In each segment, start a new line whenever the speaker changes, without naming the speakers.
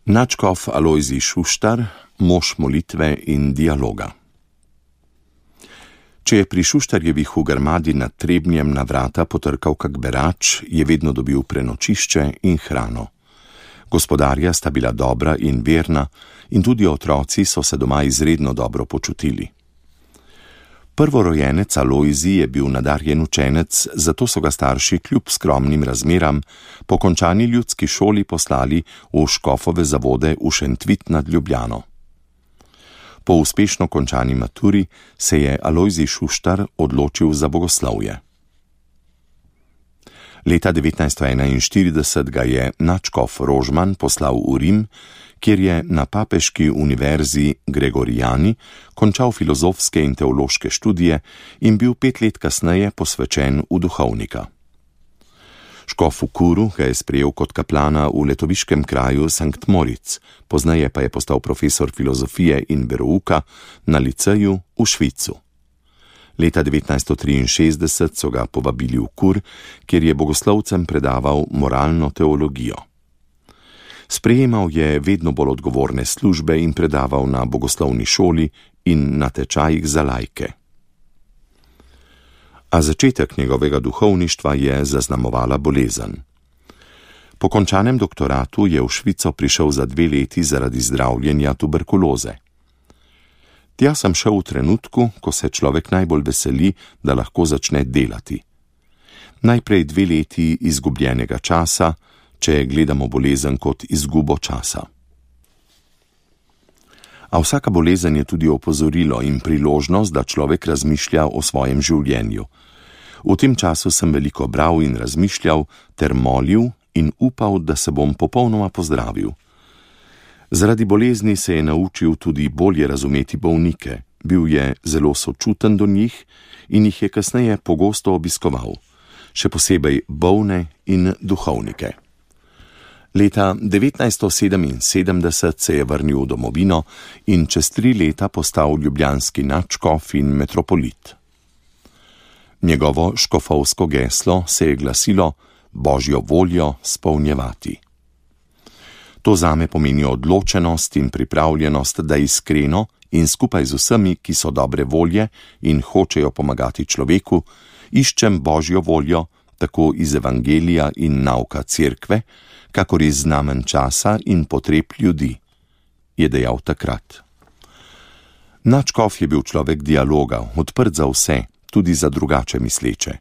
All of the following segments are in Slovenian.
Nadškof Alojzij Šuštar, mož molitve in dialoga. Če je pri Šuštarjevih v Grmadi nad Trebnjem na vrata potrkal kak berač, je vedno dobil prenočišče in hrano. Gospodarja sta bila dobra in verna in tudi otroci so se doma izredno dobro počutili. Prvorojenec Alojzij je bil nadarjen učenec, zato so ga starši kljub skromnim razmeram po končani ljudski šoli poslali v škofove zavode v Šentvit nad Ljubljano. Po uspešno končani maturi se je Alojzij Šuštar odločil za bogoslovje. Leta 1941 ga je nadškof Rožman poslal v Rim, kjer je na papeški univerzi Gregorijani končal filozofske in teološke študije in bil 5 let kasneje posvečen v duhovnika. Škof v Kuru ga je sprejel kot kaplana v letoviškem kraju Sankt Moritz, pozneje pa je postal profesor filozofije in verouka na liceju v Švicu. Leta 1963 so ga povabili v Kur, kjer je bogoslovcem predaval moralno teologijo. Sprejemal je vedno bolj odgovorne službe in predaval na bogoslovni šoli in na tečajih za laike. A začetek njegovega duhovništva je zaznamovala bolezen. Po končanem doktoratu je v Švico prišel za 2 leti zaradi zdravljenja tuberkuloze. Tja sem šel v trenutku, ko se človek najbolj veseli, da lahko začne delati. Najprej 2 leti izgubljenega časa, če gledamo bolezen kot izgubo časa. A vsaka bolezen je tudi opozorilo in priložnost, da človek razmišlja o svojem življenju. V tem času sem veliko bral in razmišljal ter molil in upal, da se bom popolnoma pozdravil. Zaradi bolezni se je naučil tudi bolje razumeti bolnike, bil je zelo sočuten do njih in jih je kasneje pogosto obiskoval, še posebej bolne in duhovnike. Leta 1977 se je vrnil v domovino in čez 3 leta postal ljubljanski nadškof in metropolit. Njegovo škofovsko geslo se je glasilo Božjo voljo spolnjevati. To zame pomeni odločenost in pripravljenost, da iskreno in skupaj z vsemi, ki so dobre volje in hočejo pomagati človeku, iščem Božjo voljo tako iz evangelija in nauka cerkve, kakor iz znamen časa in potreb ljudi, je dejal takrat. Nadškof je bil človek dialoga, odprt za vse, tudi za drugače misleče.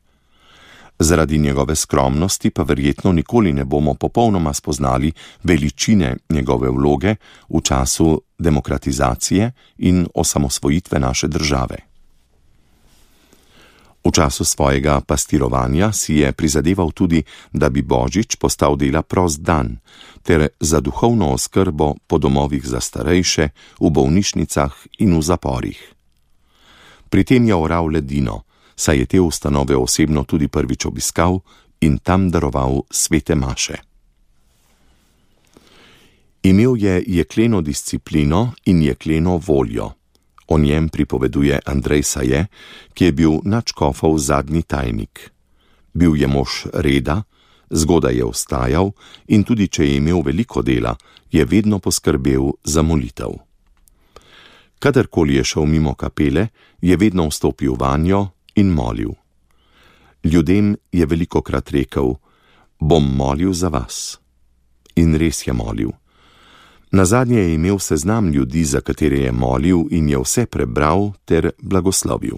Zaradi njegove skromnosti pa verjetno nikoli ne bomo popolnoma spoznali veličine njegove vloge v času demokratizacije in osamosvojitve naše države. V času svojega pastirovanja si je prizadeval tudi, da bi Božič postal dela prost dan, ter za duhovno oskrbo po domovih za starejše, v bolnišnicah in v zaporih. Pri tem je oral ledino, saj je te ustanove osebno tudi prvič obiskal in tam daroval svete maše. Imel je jekleno disciplino in jekleno voljo. O njem pripoveduje Andrej Saje, ki je bil nadškofov zadnji tajnik. Bil je mož reda, zgodaj je vstajal in tudi če je imel veliko dela, je vedno poskrbel za molitev. Kadarkoli je šel mimo kapele, je vedno vstopil vanjo in molil. Ljudem je velikokrat rekel, bom molil za vas. In res je molil. Nazadnje je imel seznam ljudi, za katere je molil in je vse prebral ter blagoslovil.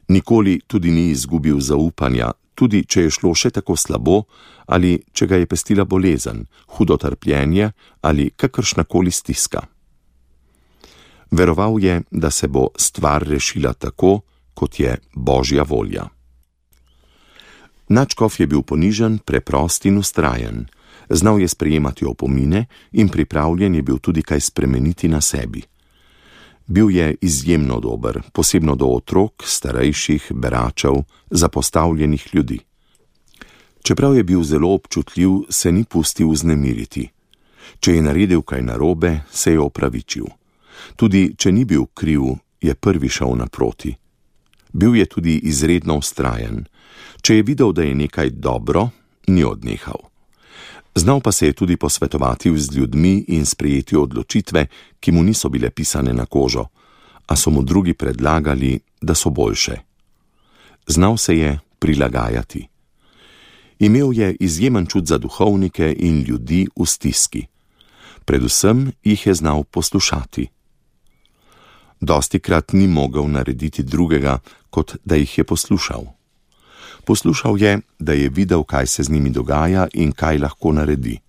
Nikoli tudi ni izgubil zaupanja, tudi če je šlo še tako slabo ali če ga je pestila bolezen, hudo trpljenje ali kakršnakoli stiska. Veroval je, da se bo stvar rešila tako, kot je Božja volja. Nadškof je bil ponižen, preprost in vztrajen. Znal je sprejemati opomine in pripravljen je bil tudi kaj spremeniti na sebi. Bil je izjemno dober, posebno do otrok, starejših, beračev, zapostavljenih ljudi. Čeprav je bil zelo občutljiv, se ni pustil vznemiriti. Če je naredil kaj narobe, se je opravičil. Tudi če ni bil kriv, je prvi šel naproti. Bil je tudi izredno vztrajen. Če je videl, da je nekaj dobro, ni odnehal. Znal pa se je tudi posvetovati z ljudmi in sprejeti odločitve, ki mu niso bile pisane na kožo, a so mu drugi predlagali, da so boljše. Znal se je prilagajati. Imel je izjemen čut za duhovnike in ljudi v stiski. Predvsem jih je znal poslušati. Dostikrat ni mogel narediti drugega, kot da jih je poslušal. Poslušal je, da je videl, kaj se z njimi dogaja in kaj lahko naredi.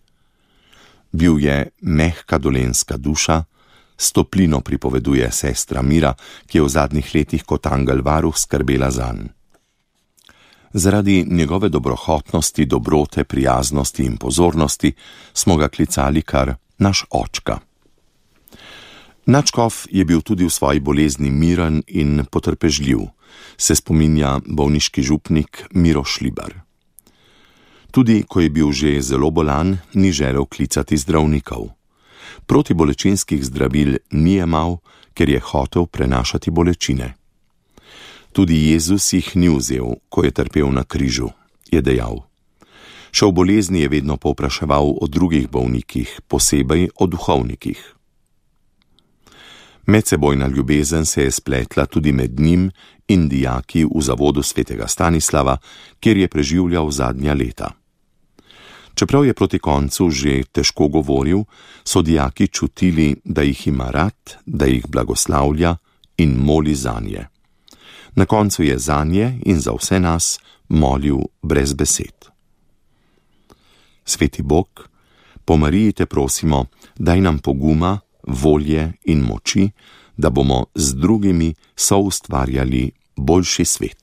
Bil je mehka dolenjska duša, s toplino pripoveduje sestra Mira, ki je v zadnjih letih kot angel varuh skrbela zanj. Zaradi njegove dobrohotnosti, dobrote, prijaznosti in pozornosti smo ga klicali kar naš očka. Nadškof je bil tudi v svoji bolezni miren in potrpežljiv, se spominja bolniški župnik Miro Šlibar. Tudi ko je bil že zelo bolan, ni želel klicati zdravnikov. Protibolečinskih zdravil ni jemal, ker je hotel prenašati bolečine. Tudi Jezus jih ni vzel, ko je trpel na križu, je dejal. Še v bolezni je vedno povpraševal o drugih bolnikih, posebej o duhovnikih. Medsebojna ljubezen se je spletla tudi med njim in dijaki v zavodu svetega Stanislava, kjer je preživljal zadnja leta. Čeprav je proti koncu že težko govoril, so dijaki čutili, da jih ima rad, da jih blagoslavlja in moli zanje. Na koncu je zanje in za vse nas molil brez besed. Sveti Bog, po Mariji te prosimo, daj nam poguma, volje in moči, da bomo z drugimi soustvarjali boljši svet.